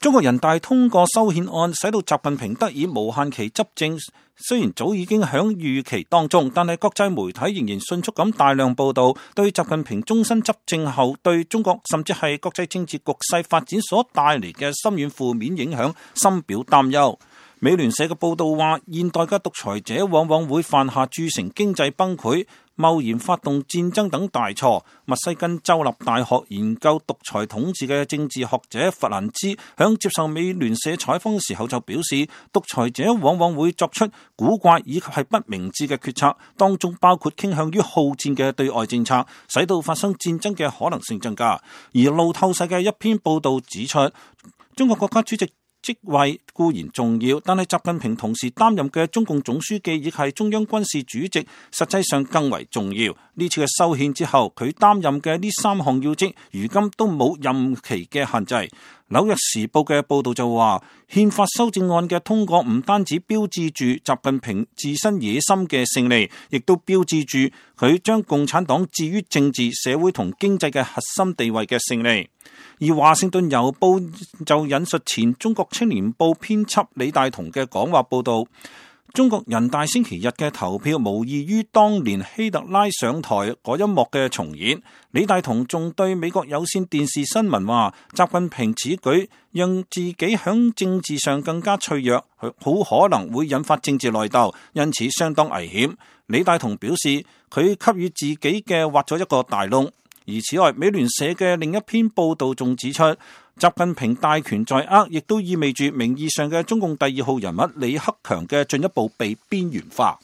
中國人大通過修憲案，使到習近平得以無限期執政。雖然早已經響預期當中，但係國際媒體仍然迅速咁大量報道，對習近平終身執政後對中國甚至係國際政治局勢發展所帶嚟嘅深遠負面影響深表擔憂。美聯社嘅報道話，現代嘅獨裁者往往會犯下鑄成經濟崩潰、貿然發動戰爭等大錯。密西根州立大學研究獨裁統治嘅政治學者弗蘭茲響接受美聯社採訪嘅時候就表示，獨裁者往往會作出古怪以及係不明智嘅決策，當中包括傾向於好戰嘅對外政策，使到發生戰爭嘅可能性增加。而路透社嘅一篇報道指出，中國國家主席職位固然重要，但係習近平同時擔任嘅中共總書記亦係中央軍事主席，實際上更為重要。呢次嘅修憲之後，佢擔任嘅呢3項要職，如今都冇任期嘅限制。紐約時報嘅報道就話，憲法修正案嘅通過唔單止標誌住習近平自身野心嘅勝利，亦都標誌住佢將共產黨置於政治、社會同經濟嘅核心地位嘅勝利。而華盛頓郵報就引述前中國青年報編輯李大同嘅講話報道，中國人大星期日嘅投票無異於當年希特拉上台嗰一幕嘅重演。李大同仲對美國有線電視新聞話，習近平此舉讓自己響政治上更加脆弱，好可能會引發政治內鬥，因此相當危險。李大同表示，佢給予自己嘅挖咗一個大窿。而此外，美聯社嘅另一篇報道仲指出，習近平大權在握，亦都意味住名義上嘅中共第2號人物李克強嘅進一步被邊緣化。